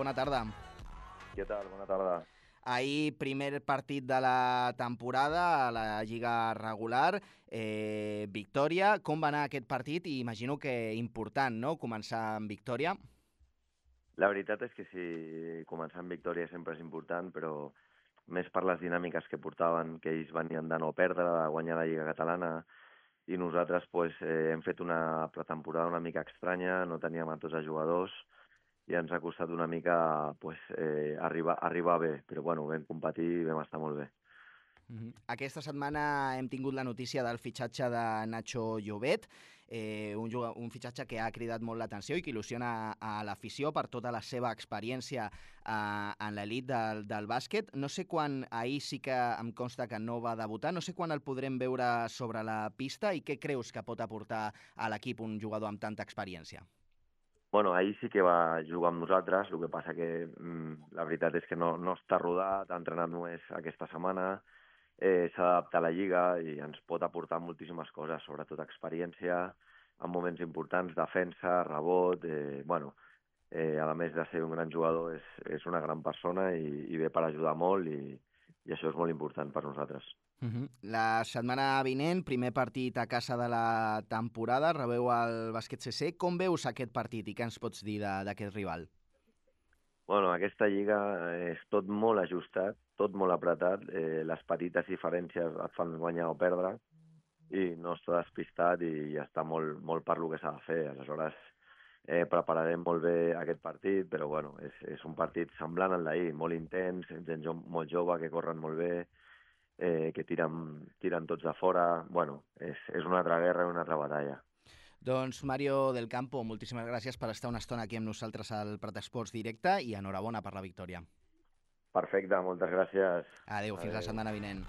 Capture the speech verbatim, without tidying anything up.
bona tarda. Què tal? Bona tarda. Ahir, primer partit de la temporada a la Lliga regular, eh, victòria. Com va anar aquest partit? I imagino que important, no?, començar amb victòria. La veritat és que sí, començar amb victòria sempre és important, però més per les dinàmiques que portaven, que ells venien de no perdre, de guanyar la Lliga Catalana, i nosaltres pues, eh, hem fet una pretemporada una mica estranya, no teníem a tots els jugadors, i ens ha costat una mica pues, eh, arribar, arribar bé, però bueno, vam competir i vam estar molt bé. Uh-huh. Aquesta setmana hem tingut la notícia del fitxatge de Nacho Llobet, eh, un, un fitxatge que ha cridat molt l'atenció i que il·lusiona a l'afició per tota la seva experiència eh, en l'elit del, del bàsquet. No sé quan, ahir sí que em consta que no va debutar, no sé quan el podrem veure sobre la pista i què creus que pot aportar a l'equip un jugador amb tanta experiència? Bueno, ahir sí que va jugar amb nosaltres, el que passa que mm, la veritat és que no, no està rodat, ha entrenat només aquesta setmana, eh, s'ha d'adaptar a la Lliga i ens pot aportar moltíssimes coses, sobretot experiència, en moments importants, defensa, rebot, eh, bueno, eh, a més de ser un gran jugador, és, és una gran persona i, i ve per ajudar molt i, i això és molt important per nosaltres. Uh-huh. La setmana vinent, primer partit a casa de la temporada, rebeu el Bàsquet C C. Com veus aquest partit i què ens pots dir d'aquest rival? Bueno, aquesta lliga és tot molt ajustat, tot molt apretat, eh, les petites diferències et fan guanyar o perdre i no està despistat i ja està molt, molt per lo que s'ha de fer. Aleshores, eh, prepararem molt bé aquest partit, però bueno, és, és un partit semblant al d'ahir, molt intens, gent jo, molt jove que corren molt bé, eh, que tiren, tiren tots de fora. Bueno, és, és una altra guerra i una altra batalla. Doncs Mario del Campo, moltíssimes gràcies per estar una estona aquí amb nosaltres al Prat Esports Directe i enhorabona per la victòria. Perfecte, moltes gràcies. Adéu, fins Adéu. la setmana vinent.